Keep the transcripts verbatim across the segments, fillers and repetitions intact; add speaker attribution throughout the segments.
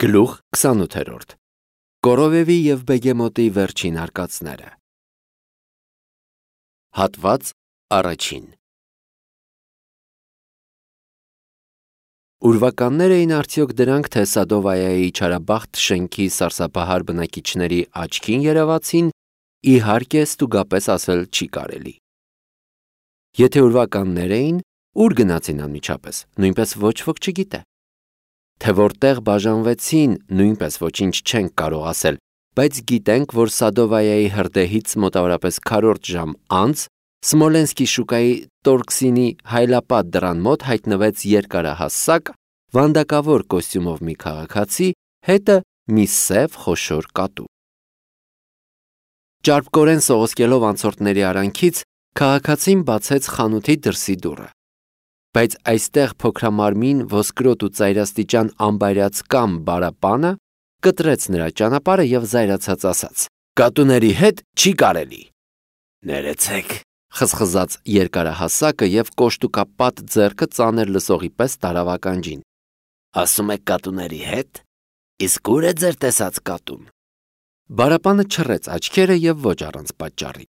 Speaker 1: Գլուխ քսանութերորդ Կորովևի և Բեգեմոտի վերջին արկածները Հատված առաջին Ուրվականներ էին արդյոք դրանք, թե Սադովայայի չարաբախտ շենքի սարսափահար բնակիչների աչքին երևացին, իհարկե ստուգապես ասել չի կարելի։ Եթե ուրվականներ էին, ուր գնացին անմիջապես, նույնպես ոչ ոք չգիտե։ Թե որտեղ բաժանվեցին, նույնպես ոչինչ չենք կարող ասել, բայց գիտենք, որ Սադովայայի հրդեհից մոտավորապես քառորդ ժամ անց Սմոլենսկի շուկայի Տորքսինի հայլապատ դռան մոտ հայտնվեց երկարահասակ, վանդակավոր կոստյումով մի քաղաքացի, հետը մի սև խոշոր կատու։ Ճարպկորեն սողոսկելով անցորդների արանքից, քաղաքացին բացեց խանութի դրսի դուռը։ Բայց այստեղ փոքրամարմին, ոսկրոտ ու ծայրաստիճան անբայրած կամ Բարապանը կտրեց նրա ճանապարհը և զայրացած ասաց. «Կատուների հետ չի կարելի»։ «Ներեցեք», խզխզաց երկարահասակը և կոշտուկապատ ձեռքը ծանր լսողի պես տարավ ականջին։ «Ասում եք կատուների հետ, իսկ ո՞ւր է ձեր տեսած կատուն»։ Բարապանը չռեց աչքերը և ոչ առանց պատճառի։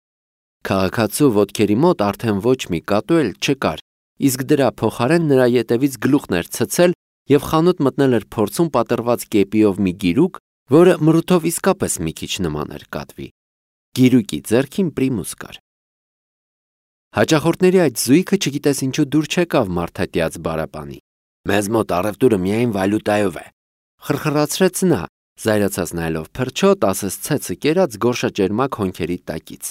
Speaker 1: Քաղաքացու ոտքերի մոտ արդեն ոչ մի կատու էլ չկար, իսկ դրա փոխարեն նրա ետևից գլուխն էր ցցել և խանութ մտնել էր փորձում պատռված կեպիով մի գիրուկ, որը մրութով իսկապես մի քիչ նման էր կատվի։ Գիրուկի ձեռքին պրիմուս կար։ Հաճախորդների այդ զույգը չգիտես ինչու դուր չեկավ մարդատյաց Բարապանի։ «Մեզ մոտ առևտուրը միայն վալյուտայով է», խրխրացրեց նա, զայրացած նայելով փրչոտ, ասես ցեցը կերած գորշաճերմակ հոնքերի տակից։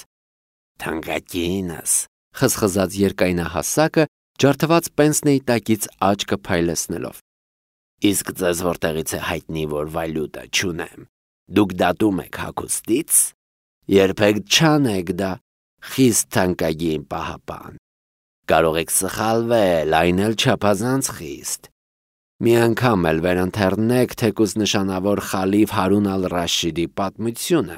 Speaker 1: «Թանկագինս», խզխզաց երկայնահասակը, ջարդված պենսնեի տակից աչքը փայլեցնելով։ «Իսկ ձեզ որտեղից է հայտնի, որ վալյուտա չունեմ։ Դուք դատում եք հագուստից։ Երբեք չանեք դա, խիստ թանկագին պահապան։ Կարող եք սխալվել, այն էլ չափազանց խիստ։ Մի անգամ էլ վերընթեռնեք թեկուզ նշանավոր խալիֆ Հարուն ալ-Ռաշիդի պատմությունը,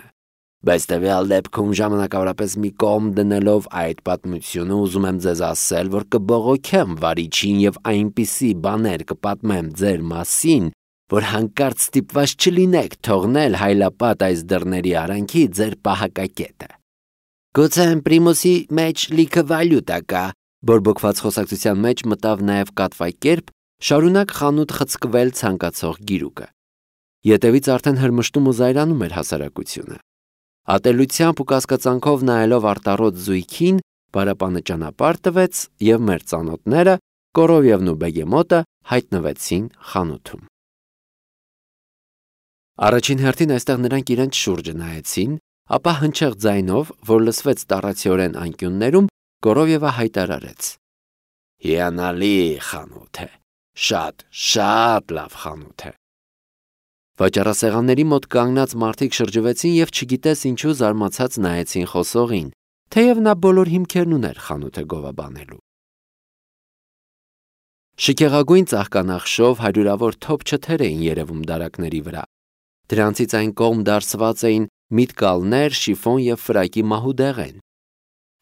Speaker 1: բայց տվյալ դեպքում ժամանակավորապես մի կողմ դնելով այդ պատմությունը, ուզում եմ ձեզ ասել, որ կբողոքեմ վարիչին և այնպիսի բաներ կպատմեմ ձեր մասին, որ հանկարծ ստիպված չլինեք թողնել հայլապատ այս դռների արանքի ձեր պահակակետը»։ «Գուցե պրիմուսի մեջ լիքը վալյուտա կա», բորբոքված խոսակցության մեջ մտավ նաև կատվակերպ, շարունակ խանութ խցկվել ցանկացող գիրուկը։ Ետևից արդեն հրմշտում ու զայրանում էր հասարակությունը։ Ատելությամբ ու կասկածանքով նայելով արտառոտ զույգին, Բարապանը ճանապարհ տվեց, և մեր ծանոթները, Կորովևն ու Բեգեմոտը, հայտնվեցին խանութում։ Առաջին հերթին այստեղ նրանք իրենց շուրջը նայեցին, ապա հնչեղ ձայնով, որ լսվեց տառացիորեն անկյուններում, Կորովևը հայտարարեց. «Հիանալի խանութ է, շատ, շատ լավ խանութ է»։ Վաճառասեղանների մոտ կանգնած մարդիկ շրջվեցին և չգիտես ինչու զարմացած նայեցին խոսողին, թեև նա բոլոր հիմքերն ուներ խանութը գովաբանելու։ Շքեղագույն ծաղկանախշով հարյուրավոր թոփ չթեր էին երևում դարակների վրա։ Դրանցից այն կողմ դարսված էին միտկալներ, շիֆոն և ֆրակի մահուդեղեն։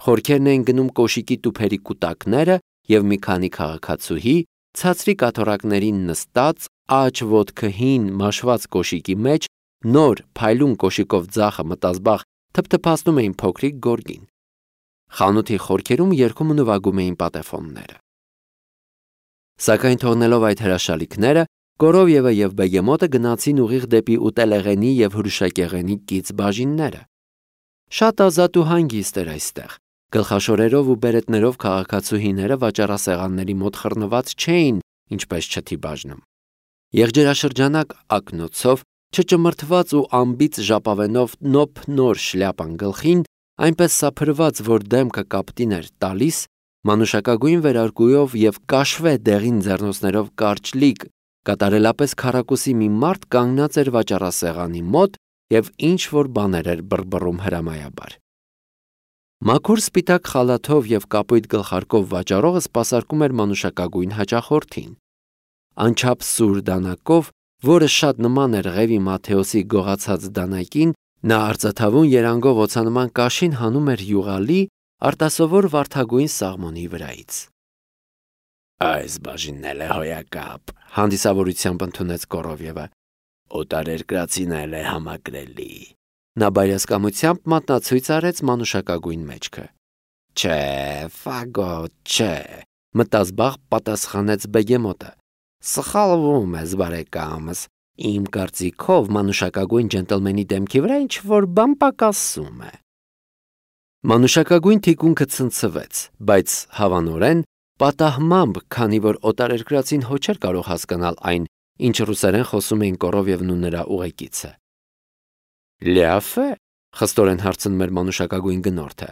Speaker 1: Խորքերն էին գնում կոշիկի տուփերի կուտակները, և մի քանի քաղաքացուհի, ցածրի կաթոռակներին նստած, աջ ոտքը հին մաշված կոշիկի մեջ, նոր փայլուն կոշիկով ձախը մտազբաղ թփթփացնում էին փոքրիկ գորգին։ Խանութի խորքերում երգում ու նվագում էին պատեֆոնները։ Սակայն թողնելով այդ հրաշալիքները, Կորովևը և Բեգեմոտը գնացին ուղիղ դեպի ուտելեղենի և հրուշակեղենի կից բաժինները։ Շատ ազատ ու հանգիստ էր այստեղ։ Գլխաշորերով ու բերետներով քաղաքացուհիները վաճառասեղանների մոտ խռնված չէին, ինչպես չթի բաժնում։ Եղջերաշրջանակ ակնոցով, չճմրթված ու անբիծ ժապավենով նոփ նոր շլյապան գլխին, այնպես սափրված, որ դեմքը կապտին էր տալիս, մանուշակագույն վերարկուով և կաշվե դեղին ձեռնոցներով կարճ լիք, կատարելապես քառակուսի մի մարդ կանգնած էր վաճառասեղանի մոտ և ինչ-որ բաներ էր բռբռում հրամայաբար։ Մաքուր սպիտակ խալաթով և կապույտ գլխարկով վաճառողը սպասարկում էր մանուշակագույն հաճախորդին։ Անչափ սուր դանակով, որը շատ նման էր Ղևի Մաթեոսի գողացած դանակին, նա արծաթավուն երանգով օձանման կաշին հանում էր յուղալի, արտասովոր վարդագույն սաղմոնի վրայից։ «Այս բաժինն էլ է հոյակապ», հանդիսավորությամբ ընդունեց Կորովևը։ օտարերկրացին էլ է համակրելի։ Նա բայրասկամությամբ մատնացույց արեց մանուշակագույն մեջքը։ Չէ, ֆագոտ, չէ, մտազբաղ պատասխանեց բեգեմոտը։ Սխալվում ես, բարեկամս, իմ կարծիքով մանուշակագույն ջենտլմենի դեմքի վրա ինչ-որ բան պակասում է։ Մանուշակագույն թիկունքը ցնցվեց, բայց հավանորեն պատահմամբ, քանի որ օտարերկրացին հո չէր կարող հասկանալ այն, ինչ ռուսերեն խոսում էին Կորովևն ու նրա ուղեկիցը։ Լյաֆ է, խստորեն հարցնում էր մանուշակագույն գնորդը։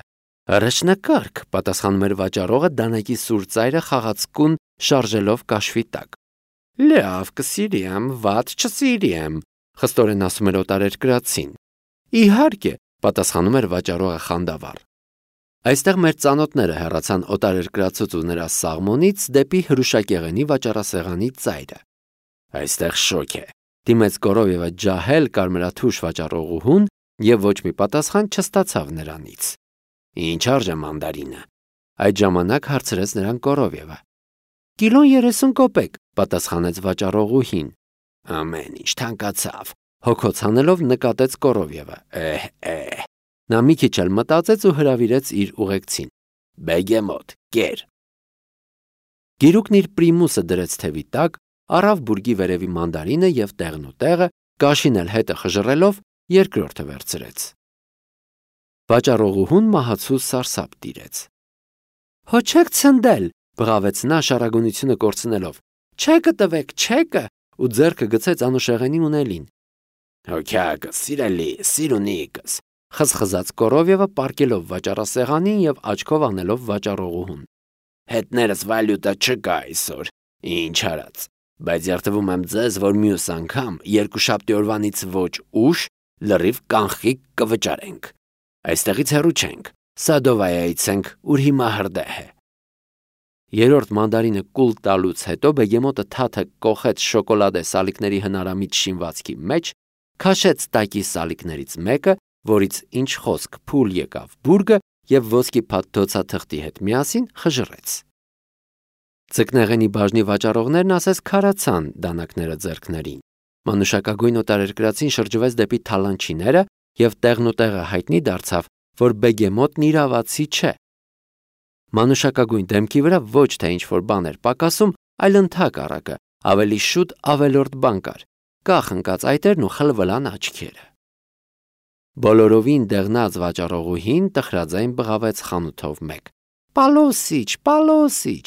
Speaker 1: Առաջնակարգ, պատասխանում էր վաճառողը դանակի սուր ծայրը խաղացկուն շարժելով կաշվի տակ։ Լավ, կսիրիեմ, վատ չսիրիեմ, խստորեն ասում էր օտարերկրացին։ Իհարկե, պատասխանում էր վաճառողը խանդավառ։ Այստեղ մեր ծանոթները հեռացան օտարերկրացուց ու նրա սաղմոնից դեպի հրուշակեղենի վաճառասեղանի ծայրը։ Այստեղ շոկ է, դիմեց Կորովևը ջահել կարմրաթուշ վաճառողուհուն եւ ոչ մի պատասխան չստացավ նրանից։ Ինչ արժ է մանդարինը։ Այդ ժամանակ հարցրեց նրան Կորովևը։ Կիլոն երեսուն կոպեկ, պատասխանեց վաճառողուհին։ Ամեն ինչ թանկացավ, հոգոց հանելով նկատեց Կորովևը։ Էհ, էհ։ Նա մի քիչ էլ մտածեց ու հրավիրեց իր ուղեկցին։ Բեգեմոտ, կեր։ Գիրուկն իր պրիմուսը դրեց թևի տակ, առավ բուրգի վերևի մանդարինը եւ տեղն ու տեղը, կաշին էլ հետը խժռելով երկրորդը վերցրեց։ Վաճառողուհուն մահացու սարսափ տիրեց։ Հո չեք ցնդել, բղավեց նա շարագունությունը կորցնելով։ Չեկը տվեք, չեկը, ու ձեռքը գցեց անուշեղենի ունելին։ Հոգյակս, սիրելի, սիրունիկս, խզխզաց Կորովևը պարկելով վաճառասեղանին եւ աչքով անելով վաճառողուհուն։ Հետներս վալյուտա չկա այսօր, ինչ արած, բայց երդվում եմ ձեզ, որ մյուս անգամ երկուշաբթի օրվանից ոչ ուշ լրիվ կանխիկ կվճարենք։ Այստեղից հեռու չենք, Սադովայայից ենք, ուր հիմա հրդեհ է։ Երրորդ մանդարինը կուլ տալուց հետո բեգեմոտը թաթը կոխեց շոկոլադե սալիկների հնարամիտ շինվածքի մեջ, քաշեց տակի սալիկներից մեկը, որից ինչ խոսք փուլ եկավ բուրգը եւ ոսկի փաթթոցաթղթի հետ միասին խժռեց։ Ձկնեղենի բաժնի վաճառողներն ասես քարացան դանակները ձեռքներին։ Մանուշակագույն օտարերկրացին շրջվեց դեպի թալանչիները եւ տեղն ու տեղը հայտնի դարձավ, որ բեգեմոտն իրավացի չէ։ Մանուշակագույն դեմքի վրա ոչ թե ինչ-որ բան էր պակասում, այլ ընդհակառակը, ավելի շուտ ավելորդ բան կար, կախ ընկած այտերն ու խլվլան աչքերը։ Բոլորովին դեղնած վաճառողուհին տխրաձայն բղավեց խանութով մեկ. Պալոսիչ, պալոսիչ։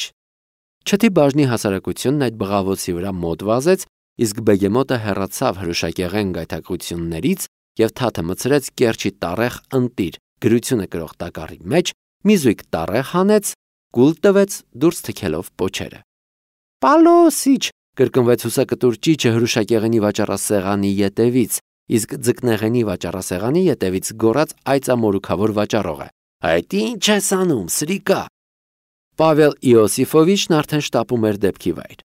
Speaker 1: Չթի բաժնի հասարակությունն այդ բղավոցի վրա մոտ վազեց, իսկ բեգեմոտը հեռացավ հրուշակեղեն գայթակղություններից եւ թաթը մցրեց կերչի տառեղ ընտիր, գրությունը կրող տակառի մեջ, մի զույգ տառեղ հանեց, գուլ տվեց դուրս թքելով պոչերը։ Պալոսիչ, կրկնվեց հուսակտուր ճիճը հրուշակեղենի վաճառասեղանի ետևից, իսկ ձկնեղենի վաճառասեղանի ետևից գոռաց այծամորուքավոր վաճառողը. Այդ ինչ ես անում, սրիկա։ Պավել Իոսիֆովիչն արդեն շտապում էր դեպքի վայր։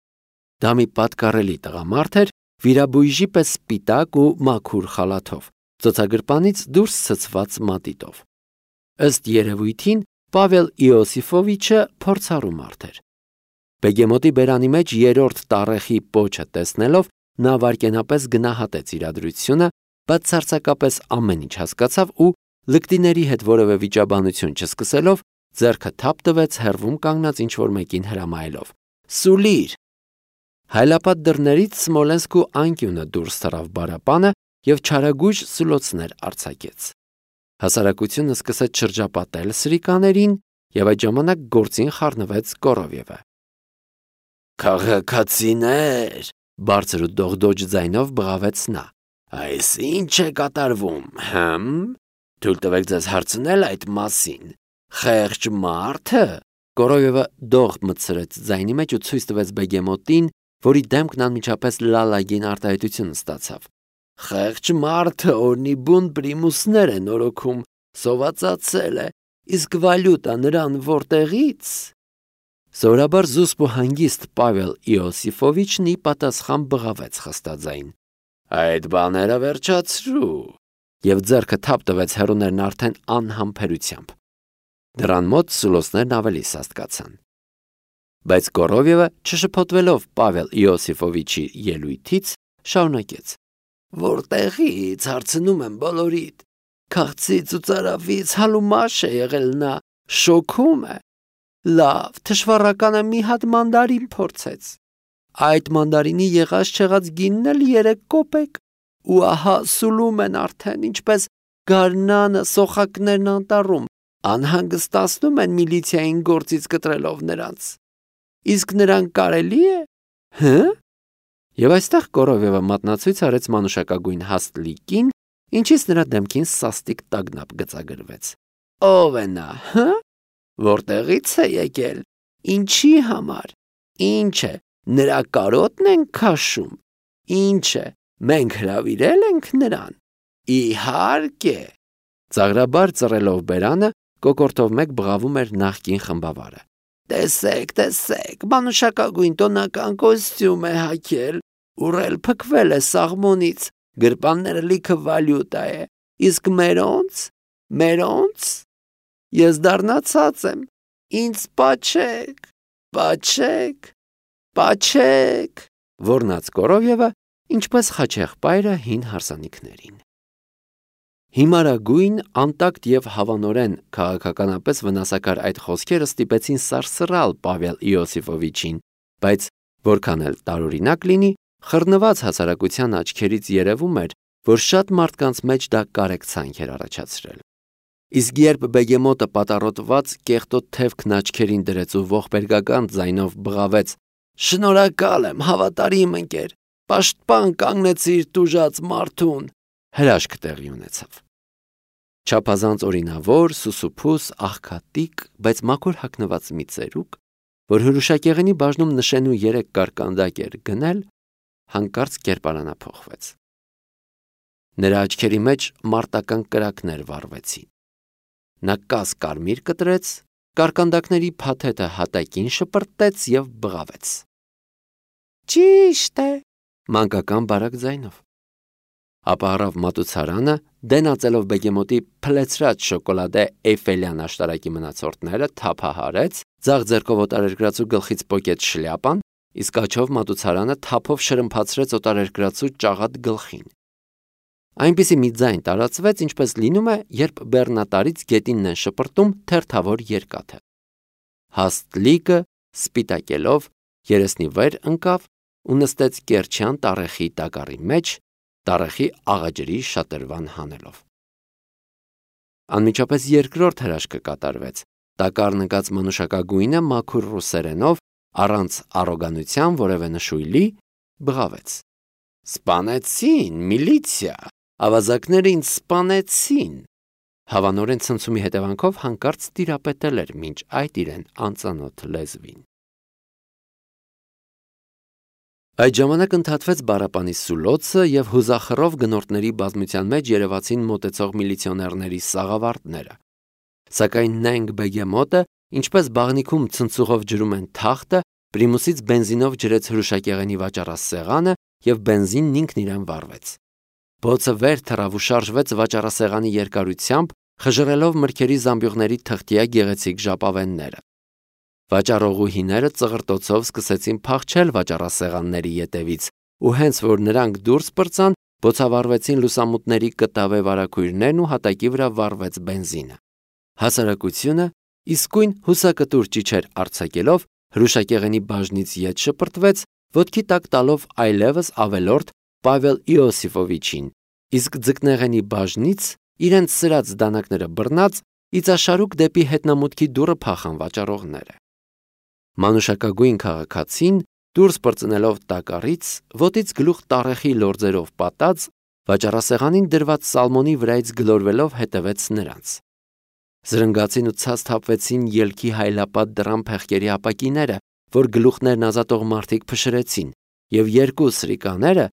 Speaker 1: Դա մի պատկառելի տղամարդ էր, վիրաբույժի պես սպիտակ ու մաքուր խալաթով, ծոցագրպանից դուրս ցցված մատիտով։ Ըստ երևույթին Պավել Իոսիֆովիչը փորձառու մարդ էր։ Բեգեմոտի բերանի մեջ երրորդ տառեխի պոչը տեսնելով նա վարկենապես գնահատեց իրադրությունը, բացարձակապես ամեն ինչ հասկացավ ու լկտիների հետ որևէ վիճաբանություն չսկսելով ձեռքը թափ տվեց հեռվում կանգնած ինչ-որ մեկին հրամայելով. Սուլիր։ Հայլապատ դռներից Սմոլենսկու անկյունը դուրս թռավ բարապանը եւ չարագույժ սուլոցներ արձակեց։ Հասարակությունը սկսեց շրջապատել սրիկաներին եւ այդ ժամանակ գործին խառնվեց Կորովևը։ Քաղաքացիներ, բարձր ու դողդոջ ձայնով բղավեց նա։ Այս ինչ է կատարվում, հմ? Թույլ տվեք ձեզ հարցնել այդ մասին։ Խեղճ մարդը, Կորովևը դող մտցրեց ձայնի մեջ ու ցույց տվեց բեգեմոտին, որի դեմքն անմիջապես լալագին արտահայտություն ստացավ։ Խեղճ մարդը օրնի բուն պրիմուսներ է նորոգում, սովածացել է, իսկ վալյուտա նրան որտեղից։ Սովորաբար զուսպ ու հանգիստ Պավել Իոսիֆովիչն ի պատասխան բղավեց խստաձայն. Այդ բաները վերջացրու, եւ ձեռքը թափ տվեց հեռուներն արդեն անհամբերությամբ։ Դրան մոտ սուլոսներն ավելի սաստկացան։ Բայց Կորովևը, չշփոթվելով Պավել Իոսիֆովիչի ելույթից, շարունակեց. Որտեղից հարցնում եմ բոլորիդ։ Քաղցից ու ծարավից հալումաշ է եղել նա, շոքում է։ Լավ, թշվառականը մի հատ մանդարին փորձեց։ Այդ մանդարինի եղած չեղած գինն էլ երեք կոպեկ։ Ու ահա սուլում են արդեն, ինչպես գարնանը սոխակներն անտառում, անհանգստացնում են միլիցիային գործից կտրելով նրանց։ Իսկ նրան կարելի է։ Հը՞։ Եվ այստեղ Կորովևը մատնացույց արեց մանուշակագույն հաստլիկին, ինչից նրա դեմքին սաստիկ տագնապ գծագրվեց։ Ո՞վ է նա, հը՞։ Որտեղից է եկել։ Ինչի համար։ Ինչ է, նրա կարոտն են քաշում։ Ինչ է, մենք հրավիրել ենք նրան։ Իհարկե։ Ծաղրաբար ծռելով բերանը, կոկորտով մեկ բղավում էր նախկին խմբավարը։ Տեսեք, տեսեք, մանուշակագույն տոնական կոստյում է հագել, ուռել փքվել է սաղմոնից, գրպանները լիքը վալյուտա է, իսկ մերոնց, մերոնց, ես դառնացած եմ, ինձ պաչեք, պաչեք, պաչեք, որնաց Կորովևը, ինչպես խաչեղբայրը հին հարսանիքներին։ Հիմարագույն, անտակտ և հավանորեն քաղաքականապես վնասակար այդ խոսքերը ստիպեցին սարսռալ Պավել Իոսիֆովիչին, բայց որքան էլ տարօրինակ լինի, խռնված հասարակության աչքերից երևում էր, որ շատ մարդկանց մեջ դա կարեկցանք էր առաջացրել։ Իսկ երբ բեգեմոտը պատառոտված կեղտոտ թևքն աչքերին դրեց ու ողբերգական ձայնով բղավեց. «Շնորհակալ եմ, հավատարիմ ընկեր, պաշտպան կանգնեցիր տուժած մարդուն», հրաշք տեղի ունեցավ։ Չափազանց օրինավոր, սուսուփուս, աղքատիկ, բայց մաքուր հագնված մի ծերուկ, որ հրուշակեղենի բաժնում նշենու երեք կարկանդակ էր գնել, հանկարծ կերպարանափոխվեց։ Նրա աչքերի մեջ մարտական կրակներ վառվեցին։ Նա կաս կարմիր կտրեց, կարկանդակների փաթեթը հատակին շպրտեց և բղավեց։ Ճիշտ է, մանկական բարակ ձայնով։ Ապա առավ մատուցարանը, դենացելով բեգեմոտի փլեցրած շոկոլադե Էյֆելյան աշտարակի մնացորդները, թափահարեց, ձախ ձեռքով օտարերկրացու գլխից պոկեց շլյապան, իսկ աջով մատուցարանը թափով շրմփացրեց օտարերկրացու ճաղատ գլխին։ Այնպիսի մի ձայն տարածվեց, ինչպես լինում է, երբ բեռնատարից գետինն են շպրտում թերթավոր երկաթը։ Հաստլիկը, սպիտակելով, երեսնի վեր ընկավ ու նստեց կերչյան տառեխի տակառի մեջ, տառեխի աղաջրի շատրվան հանելով։ Անմիջապես երկրորդ հրաշքը կատարվեց։ Տակառն ընկած մանուշակագույնը մաքուր ռուսերենով, առանց առոգանության որևէ նշույլի, բղավեց. Սպանեցին, միլիցիա, ավազակները ինձ սպանեցին։ Հավանորեն ցնցումի հետևանքով հանկարծ տիրապետել էր մինչ այդ իրեն անծանոթ լեզվին։ Այդ ժամանակ ընդհատվեց Բարապանի սուլոցը և հուզախռով գնորդների բազմության մեջ երևացին մոտեցող միլիցիոներների սաղավարտները։ Սակայն նայնք բեգեմոտը, ինչպես բաղնիքում ցնցուղով ջրում են թախտը, պրիմուսից բենզինով ջրեց հրուշակեղենի վաճառասեղանը և բենզինն ինքն իրեն վառվեց։ Բոցը վեր թռավ ու շարժվեց վաճառասեղանի երկարությամբ, խժռելով մրգերի զամբյուղների թղթյա գեղեցիկ ժապավենները։ Վաճառողուհիները ծղրտոցով սկսեցին փախչել վաճառասեղանների ետևից, ու հենց որ նրանք դուրս պրծան, բոցավառվեցին լուսամուտների կտավե վարագույրներն ու հատակի վրա վառվեց բենզինը։ Հասարակությունը, իսկույն հուսակտուր ճիչեր արձակելով, հրուշակեղենի բաժնից ետ շպրտվեց, ոտքի տակ տալով այլևս ավելորդ Պավել Իոսիֆովիչին, իսկ ձկնեղենի բաժնից իրենց սրած դանակները բռնած, իծաշարուկ դեպի հետնամուտքի դուռը փախան վաճառողները։ Մանուշակագույն քաղաքացին, դուրս պրծնելով տակառից, ոտից գլուխ տառեխի լորձերով պատած, վաճառասեղանին դրված սալմոնի վրայից գլորվելով հետևեց նրանց։ Զրնգացին ու ցած թափվեցին ելքի հայլապատ դռան փեղկերի ապակիները, որ գլուխներն ազատող մարդիկ փշրեցին, և երկու սրիկաները,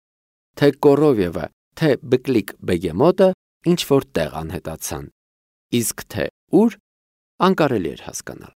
Speaker 1: թե Կորովևը, թե Բկլիկ բեգեմոտը, ինչ-որ տեղ անհետացան, իսկ թե ուր, անկարելի էր հասկանալ։